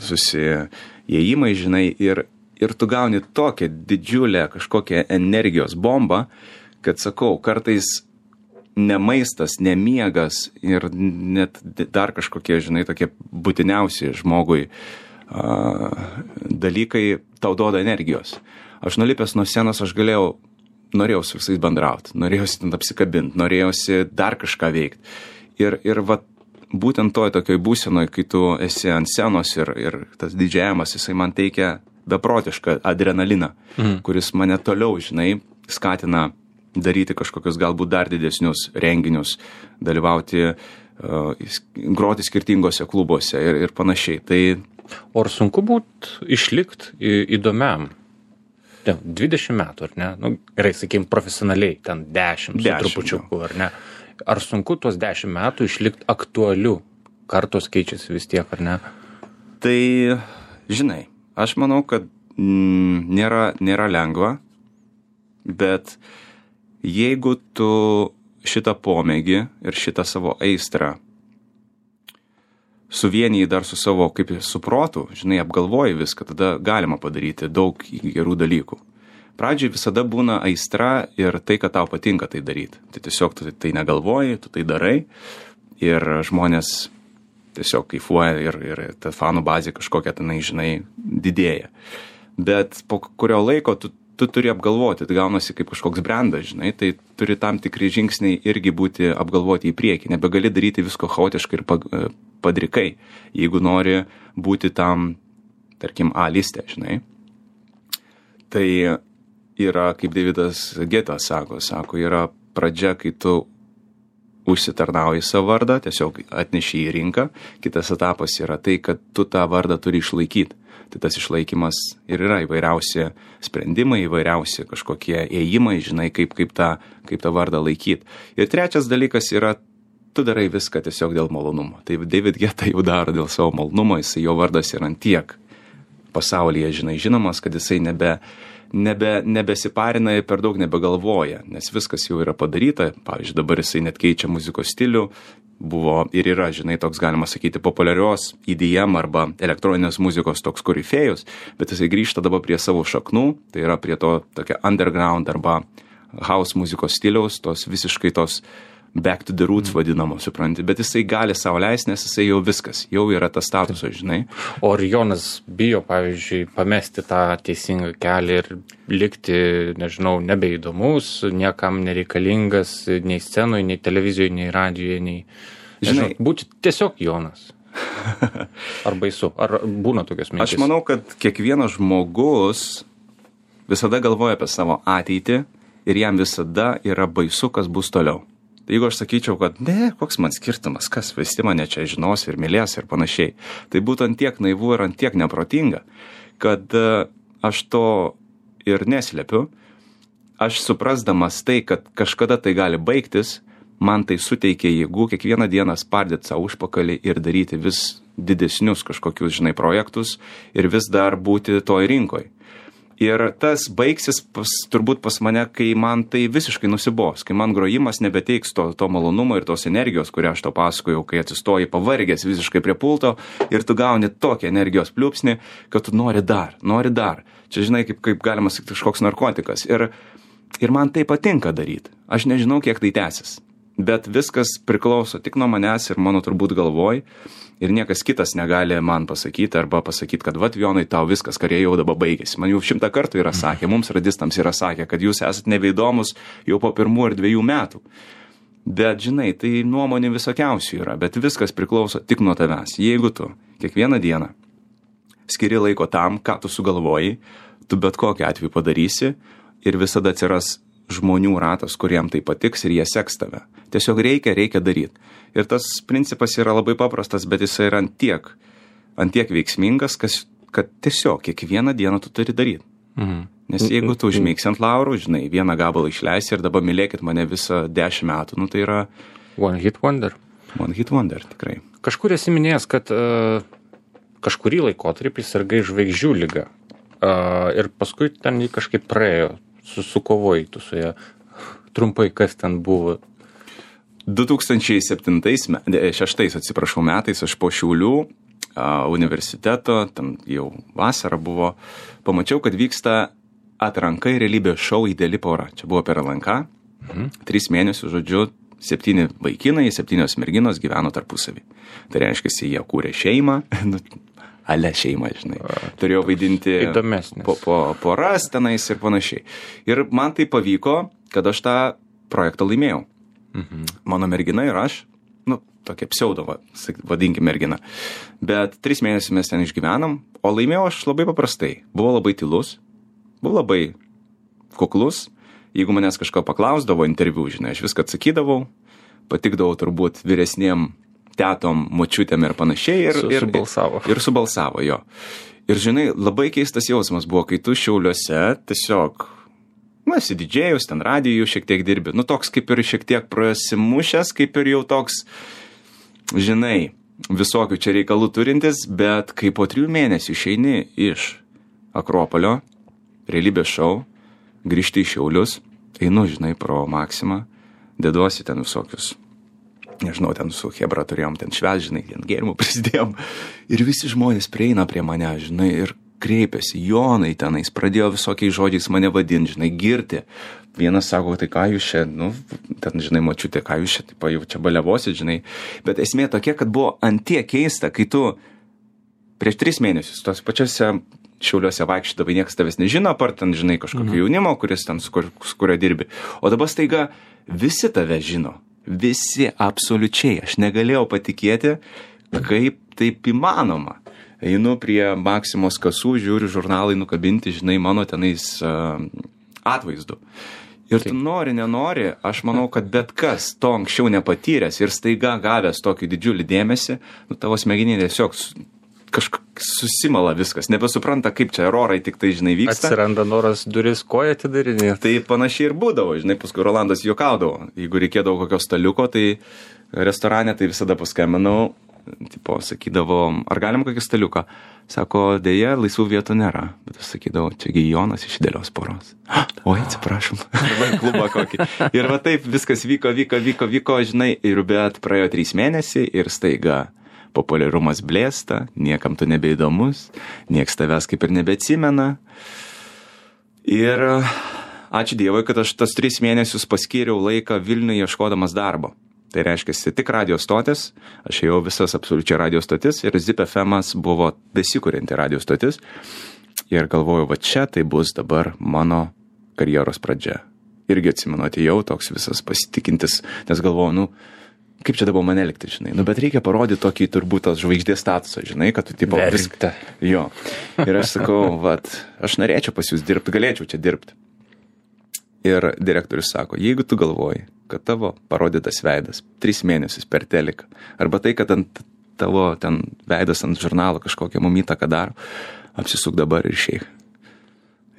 susiėjimai, žinai, ir tu gauni tokią didžiulę kažkokią energijos bombą, kad, sakau, kartais ne maistas, ne miegas ir net dar kažkokie, žinai, tokie būtiniausi žmogui dalykai tau duoda energijos. Aš nulipęs nuo scenos, norėjau su visais bendrauti, norėjausi ten apsikabinti, norėjausi dar kažką veikti. Ir va, būtent toj tokioj būsenoj, kai tu esi ant scenos ir tas didžiavimas, jisai man teikia beprotišką adrenaliną, kuris mane toliau, žinai, skatina daryti kažkokius galbūt dar didesnius renginius, dalyvauti, groti skirtingose klubuose ir panašiai. Tai... O ar sunku išlikti įdomiam? 20 metų, ar ne? Nu, gerai, sakykim, profesionaliai, ten 10 su trupučiuku, ar ne? Ar sunku tuos 10 metų išlikti aktualiu? Kartos keičiasi vis tiek, ar ne? Tai, žinai, aš manau, kad nėra lengva, bet jeigu tu šitą pomėgį ir šitą savo aistrą suvienijai dar su savo, kaip su protu, žinai, apgalvoji viską, tada galima padaryti daug gerų dalykų. Pradžiai visada būna aistra ir tai, kad tau patinka tai daryti. Tai tiesiog tu tai negalvoji, tu tai darai ir žmonės tiesiog kaifuoja ir ta fanų bazė kažkokia tenai, žinai, didėja. Bet po kurio laiko tu turi apgalvoti, tai gaunasi kaip kažkoks brandas, žinai, tai turi tam tikri žingsniai irgi būti apgalvoti į priekį. Nebegali daryti visko chaotiškai ir padrikai, jeigu nori būti tam, tarkim, A liste, žinai. Tai yra, kaip Davidas Geta sako, yra pradžia, kai tu užsitarnauji savo vardą, tiesiog atneši į rinką. Kitas etapas yra tai, kad tu tą vardą turi išlaikyti. Tai tas išlaikymas ir yra įvairiausi sprendimai, įvairiausi kažkokie ėjimai, žinai, kaip tą vardą laikyti. Ir trečias dalykas yra, tu darai viską tiesiog dėl malonumo. Tai David Guetta jau daro dėl savo malonumo, jo vardas yra tiek pasaulyje, žinai, žinomas, kad jisai nebesiparina ir per daug nebegalvoja, nes viskas jau yra padaryta. Pavyzdžiui, dabar jisai net keičia muzikos stilių, buvo ir yra, žinai, toks, galima sakyti, populiarios EDM arba elektroninės muzikos toks korifėjus, bet jisai grįžta dabar prie savo šaknų, tai yra prie to tokia underground arba house muzikos stiliaus, tos visiškai tos back to the roots vadinamos, supranti, bet jisai gali savo leisti, nes jisai jau viskas, jau yra tas statusas, žinai. O ar Jonas bijo, pavyzdžiui, pamesti tą teisingą kelią ir likti, nežinau, nebeįdomus, niekam nereikalingas, nei scenoje, nei televizijoje, nei radijoje, nei... Žinai, būti tiesiog Jonas. Ar baisu? Ar būna tokios mintys? Aš manau, kad kiekvienas žmogus visada galvoja apie savo ateitį ir jam visada yra baisu, kas bus toliau. Jeigu aš sakyčiau, kad ne, koks man skirtumas, kas visi mane čia žinos ir mylės ir panašiai, tai būtų ant tiek naivu ir ant tiek neprotinga, kad aš to ir neslepiu. Aš suprasdamas tai, kad kažkada tai gali baigtis, man tai suteikia jėgų kiekvieną dieną spardyti savo užpakalį ir daryti vis didesnius kažkokius, žinai, projektus ir vis dar būti toj rinkoj. Ir tas baigsis turbūt pas mane, kai man tai visiškai nusibos, kai man grojimas nebeteiks to malonumo ir tos energijos, kurią aš tau pasakojau, kai atsistoji pavargęs visiškai prie pulto ir tu gauni tokį energijos pliūpsnį, kad tu nori dar. Čia žinai, kaip galima sakyti, kažkoks narkotikas. Ir man tai patinka daryti. Aš nežinau, kiek tai tęsis. Bet viskas priklauso tik nuo manęs ir mano turbūt galvoj. Ir niekas kitas negali man pasakyti arba pasakyti, kad vat Jonai, tau viskas, karė jau dabar baigėsi. Man jau 100 kartų yra sakę, mums radistams yra sakę, kad jūs esate nebeįdomus jau po 1 ir 2 metų. Bet žinai, tai nuomonė visokiausių yra, bet viskas priklauso tik nuo tavęs. Jeigu tu kiekvieną dieną skiri laiko tam, ką tu sugalvoji, tu bet kokiu atveju padarysi ir visada atsiras žmonių ratas, kuriem tai patiks ir jie seks tave. Tiesiog reikia daryti. Ir tas principas yra labai paprastas, bet jis yra ant tiek veiksmingas, kad tiesiog kiekvieną dieną tu turi daryti. Nes jeigu tu užmigsi ant laurų, žinai, vieną gabalą išleisi ir dabar mylėkit mane visą 10 metų, tai yra... One hit wonder. One hit wonder, tikrai. Kažkur esi minėjęs, kad kažkurį laikotarpį sirgai žvaigždžių liga. Ir paskui ten jį kažkaip praėjo. Sukovojai tu su ją. Trumpai, kas ten buvo? 2006 metais aš po Šiaulių universiteto, ten jau vasara buvo, pamačiau, kad vyksta atranka į realybės šou Ideali pora. Čia buvo per LNK. 3 mėnesių, žodžiu, 7 vaikinai, 7 merginos gyveno tarpusavį. Tai reiškia, jie kūrė šeimą, ale šeimą, žinai. Turėjau vaidinti poras tenais ir panašiai. Ir man tai pavyko, kad aš tą projektą laimėjau. Mano mergina ir aš, tokia pseudo, vadinkim mergina. Bet 3 mėnesius mes ten išgyvenam, o laimėjau aš labai paprastai. Buvau labai tylus, buvau labai kuklus. Jeigu manęs kažko paklausdavo interviu, žinai, aš viską atsakydavau, patikdavau turbūt vyresniem tetom, močiutėm ir panašiai. Ir subalsavo, jo. Ir žinai, labai keistas jausmas buvo, kai tu Šiauliuose tiesiog, esi didžėjus, ten radijų šiek tiek dirbi. Toks kaip ir šiek tiek prasimušęs, kaip ir jau toks, žinai, visokių čia reikalų turintis, bet kai po 3 mėnesių išeini iš Akropolio, realybės šou, grįžti į Šiaulius, einu, žinai, pro Maksimą, deduosi ten visokius, nežinau, ten su Hebra turėjom ten švęs, žinai, ten gėrimų prisidėjom. Ir visi žmonės prieina prie mane, žinai, ir kreipiasi, Jonai tenais, pradėjo visokiais žodžiais mane vadinti, žinai, girti. Vienas sako, tai ką jūs čia, ten, žinai, močiutė, ką jūs čia, taip, jau čia baliavosit, žinai. Bet esmė tokia, kad buvo antiek keista, kai tu prieš 3 mėnesius tos pačiose Šiauliuose vaikščiodavai, niekas tavęs nežino, apart ten, žinai, kažkokio jaunimo, kuris ten su kurio dirbi. O dabar staiga visi tave žino. Visi absoliučiai. Aš negalėjau patikėti, kaip taip įmanoma. Einu prie Maksimos kasų, žiūriu žurnalai nukabinti, žinai, mano tenais atvaizdu. Ir tu nori, nenori, aš manau, kad bet kas to anksčiau nepatyręs ir staiga gavęs tokį didžiulį dėmesį, tavo smegeninė tiesiog susimala viskas, nebesupranta, kaip čia erorai tik tai, žinai, vyksta. Atsiranda noras duris koją atidarinėti. Tai panašiai ir būdavo, žinai, paskui Rolandas juokaudavo. Jeigu reikėdavo kokio staliuko, tai restorane tai visada paskambinau, tipo, sakydavo, ar galim kokį staliuką? Sako, dėja, laisvų vietų nėra. Bet aš sakydavau, čiagi Jonas iš Idealios poros. Oi, atsiprašom. Klubą kokį. Ir va taip viskas vyko, žinai, ir bet praėjo 3 mėnesiai ir staiga populiarumas blėsta, niekam tu nebeįdomus, nieks tavęs kaip ir nebeatsimena. Ir ačiū Dievui, kad aš tas 3 mėnesius paskyriau laiką Vilniuje ieškodamas darbo. Tai reiškia, tik radio stotis, aš ėjau visas absoliučiai radio stotis ir Zip FM'as buvo besikurianti radio stotis. Ir galvoju, va čia tai bus dabar mano karjeros pradžia. Irgi atsimenu, atėjau toks visas pasitikintis, nes galvoju, kaip čia dabar mane likti, žinai. Bet reikia parodyti tokį turbūt tas žvaigždės statusą, žinai, kad tu tipo viską. Jo. Ir aš sakau, aš norėčiau pas jūs dirbti, galėčiau čia dirbti. Ir direktorius sako, jeigu tu galvoji, kad tavo parodytas veidas 3 mėnesius per teliką, arba tai, kad ant tavo ten veidas ant žurnalo kažkokią įtaką daro, apsisuk dabar ir išeik.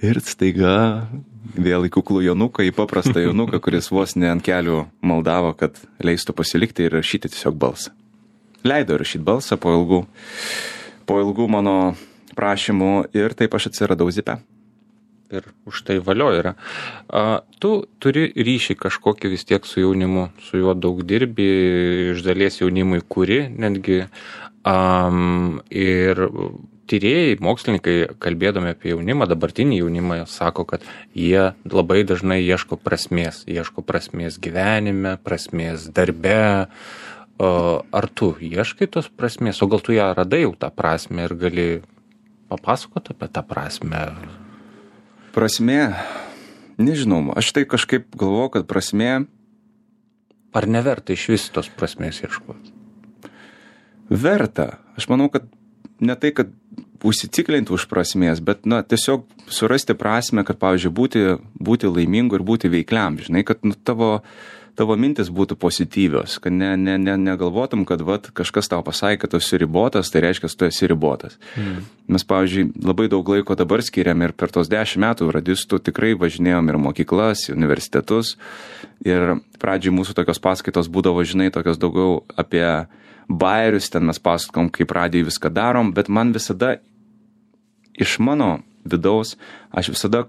Ir staiga vėl į kuklų Jonuką, į paprastą Jonuką, kuris vos ne ant kelių maldavo, kad leistų pasilikti ir rašyti tiesiog balsą. Leido rašyti balsą po ilgų mano prašymų ir taip aš atsiradau Zipe. ir už tai valio yra. Tu turi ryšį kažkokį vis tiek su jaunimu, su juo daug dirbi, iš dalies jaunimui kuri netgi. Ir tyrėjai, mokslininkai, kalbėdami apie jaunimą, dabartinį jaunimą, sako, kad jie labai dažnai ieško prasmės gyvenime, prasmės darbe. Ar tu ieškai tos prasmės, o gal tu ją radai jau tą prasmę ir gali papasakoti apie tą prasmę? Prasmė, nežinau, aš tai kažkaip galvoju, kad prasmė... Ar neverta iš vis tos prasmės ieškoti? Verta. Aš manau, kad ne tai, kad užsiciklinti už prasmės, bet, tiesiog surasti prasmę, kad, pavyzdžiui, būti laimingu ir būti veikliam, žinai, kad tavo mintis būtų pozityvios, kad negalvotum, kad kažkas tau pasakė, kad tu esi ribotas, tai reiškia, tu esi ribotas. Mes, pavyzdžiui, labai daug laiko dabar skiriam ir per tos 10 metų radistų tikrai važinėjom ir mokyklas, ir universitetus. Ir pradžiai mūsų tokios paskaitos būdavo, žinai, tokios daugiau apie bajerius, ten mes pasakom, kaip radijai viską darom, bet man visada iš mano vidaus, aš visada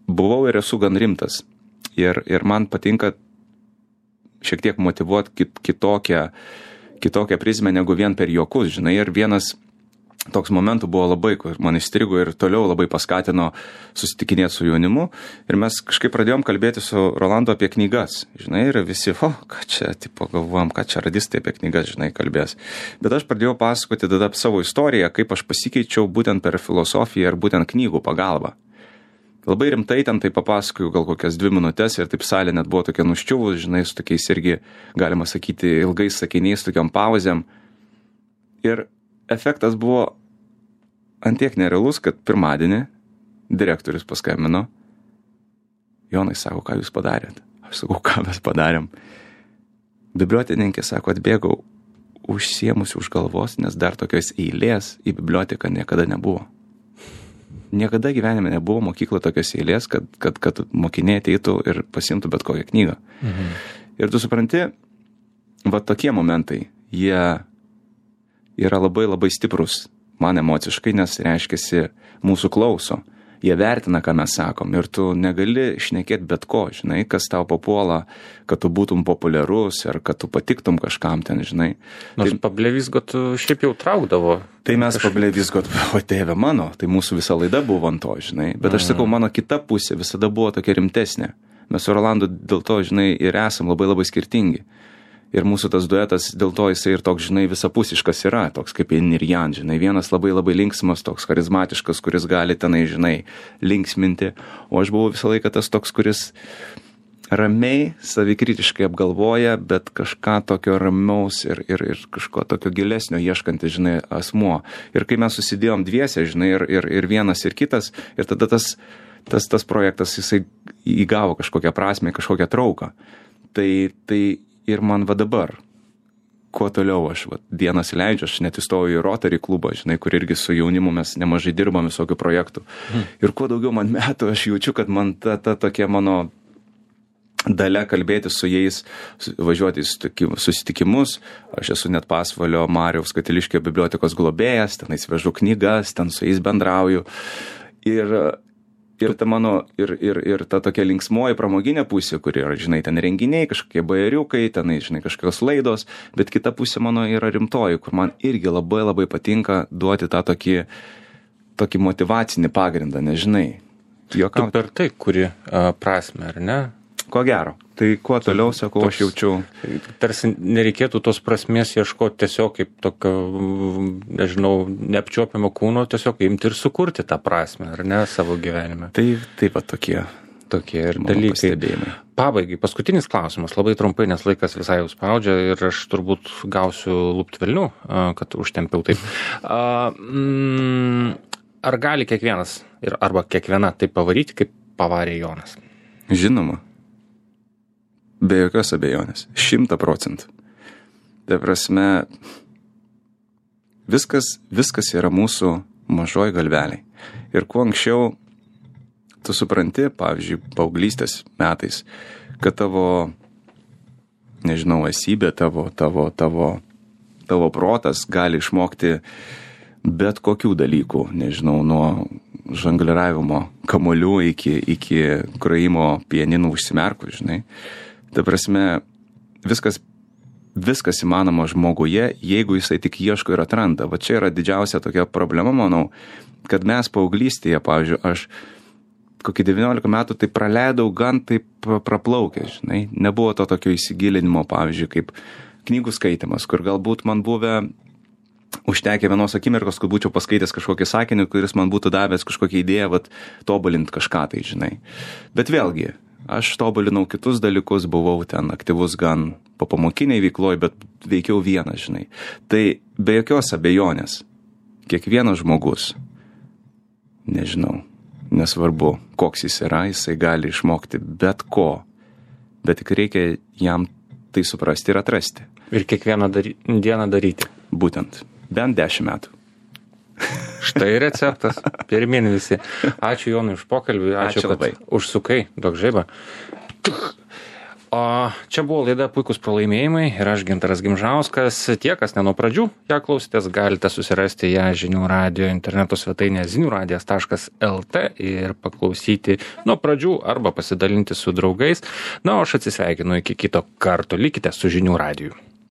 buvau ir esu gan rimtas. Ir man patinka šiek tiek motyvuoti kitokią prizmę negu vien per juokus, žinai, ir vienas toks momentų buvo labai, kur man įstrigo ir toliau labai paskatino susitikinėti su jaunimu, ir mes kažkaip pradėjom kalbėti su Rolandu apie knygas, žinai, ir visi, ką čia, galvojam, ką čia radistai apie knygas, žinai, kalbės. Bet aš pradėjau pasakoti tada savo istoriją, kaip aš pasikeičiau būtent per filosofiją ir būtent knygų pagalbą. Labai rimtai ten tai papasakoju gal kokias 2 minutės ir taip salė net buvo tokia nuščiuvus, žinai, su tokiais irgi, galima sakyti, ilgais sakiniais, tokiam pauzėm. Ir efektas buvo antiek nerealus, kad pirmadienį direktorius paskambino. Jonai, sako, ką jūs padarėt? Aš sakau, ką mes padarėm. Bibliotekininkė, sako, atbėgau užsiemusi už galvos, nes dar tokios eilės į biblioteką niekada nebuvo. Niekada gyvenime nebuvo mokykla tokios eilės, kad mokiniai ateitų ir pasimtų bet kokią knygą. Ir tu supranti, tokie momentai, jie yra labai labai stiprus man emociškai, nes reiškiasi mūsų klauso. Jie vertina, ką mes sakom, ir tu negali šnekėti bet ko, žinai, kas tau papuola, kad tu būtum populiarus ar kad tu patiktum kažkam ten, žinai. Nors pablevizgot šiaip jau traukdavo. Tai mes pablevizgot, o tėve mano, tai mūsų visa laida buvo ant to, žinai. Bet aš sakau, mano kita pusė visada buvo tokia rimtesnė. Mes su Rolandu dėl to, žinai, ir esam labai labai skirtingi. Ir mūsų tas duetas, dėl to jisai ir toks, žinai, visapusiškas yra, toks kaip Yin ir Yang, žinai. Vienas labai labai linksmas, toks charizmatiškas, kuris gali tenai, žinai, linksminti. O aš buvau visą laiką tas toks, kuris ramiai, savikritiškai apgalvoja, bet kažką tokio ramaus ir kažko tokio gilesnio ieškantis, žinai, asmuo. Ir kai mes susidėjom dviese, žinai, ir vienas ir kitas, ir tada tas projektas, jisai įgavo kažkokią prasmę, kažkokią trauką. Tai ir man dabar, kuo toliau aš dienas leidžiu, aš net įstojau į Rotary klubą, žinai, kur irgi su jaunimu mes nemažai dirbam visokių projektų. Ir kuo daugiau man metų, aš jaučiu, kad man ta tokia mano dalia kalbėti su jais, važiuoti į susitikimus. Aš esu net Pasvalio Mariaus Katiliškio bibliotekos globėjas, tenais vežu knygas, ten su jais bendrauju. Ir ta mano, ir ta tokia linksmoji pramoginė pusė, kur yra, žinai, ten renginiai, kažkokie bajeriukai, tenai, žinai, kažkokios laidos, bet kita pusė mano yra rimtoji, kur man irgi labai labai patinka duoti tą tokį motyvacinį pagrindą, nežinai. Tu per tai kuri prasmę, ar ne? Ko gero. Tai kuo toliau, sakau, aš jaučiu. Tarsi nereikėtų tos prasmės ieškoti tiesiog kaip tokio, nežinau, neapčiuopiamo kūno, tiesiog imti ir sukurti tą prasmę, ar ne, savo gyvenime. Taip pat tokie ir dalykai. Pabaigai, paskutinis klausimas, labai trumpai, nes laikas visai jau spaudžia ir aš turbūt gausiu lupt velnių, kad užtempiau taip. Ar gali kiekvienas arba kiekviena taip pavaryti, kaip pavarė Jonas? Žinoma. Be jokios abejonės. 100%. Tai prasme, viskas yra mūsų mažoj galveliai. Ir kuo anksčiau tu supranti, pavyzdžiui, paauglystės metais, kad tavo, nežinau, esybė, tavo protas gali išmokti bet kokių dalykų, nežinau, nuo žongliravimo kamuolių iki grojimo pianinų užsimerkus, žinai. Ta prasme, viskas įmanoma žmoguje, jeigu jisai tik ieško ir atranda. Va čia yra didžiausia tokia problema, manau, kad mes paauglystėje, pavyzdžiui, aš kokį 19 metų tai praleidau gan taip praplaukę, žinai. Nebuvo to tokio įsigilinimo, pavyzdžiui, kaip knygų skaitimas, kur galbūt man buvę užtekė vienos akimirkos, kad būčiau paskaitęs kažkokį sakinį, kuris man būtų davęs kažkokią idėją, vat, tobulint kažką tai, žinai. Bet vėlgi, aš tobulinau kitus dalykus, buvau ten aktyvus gan popamokiniai veikloj, bet veikiau vienas, žinai. Tai be jokios abejonės, kiekvienas žmogus, nežinau, nesvarbu, koks jis yra, jisai gali išmokti bet ko, bet tik reikia jam tai suprasti ir atrasti. Ir kiekvieną dieną daryti. Būtent. Bent 10 metų. Štai receptas. Pirmin visi. Ačiū Jonui už pokalbį. Ačiū kad labai. Užsukai. Duok žaibą. O čia buvo laida Puikūs pralaimėjimai ir aš Gintaras Gimžauskas. Tie, kas ne nuo pradžių ją klausėtės, galite susirasti ją Žinių radijo interneto svetainėje ziniuradijas.lt ir paklausyti nuo pradžių arba pasidalinti su draugais. Na, o aš atsisveikinu iki kito karto. Likite su Žinių radiju.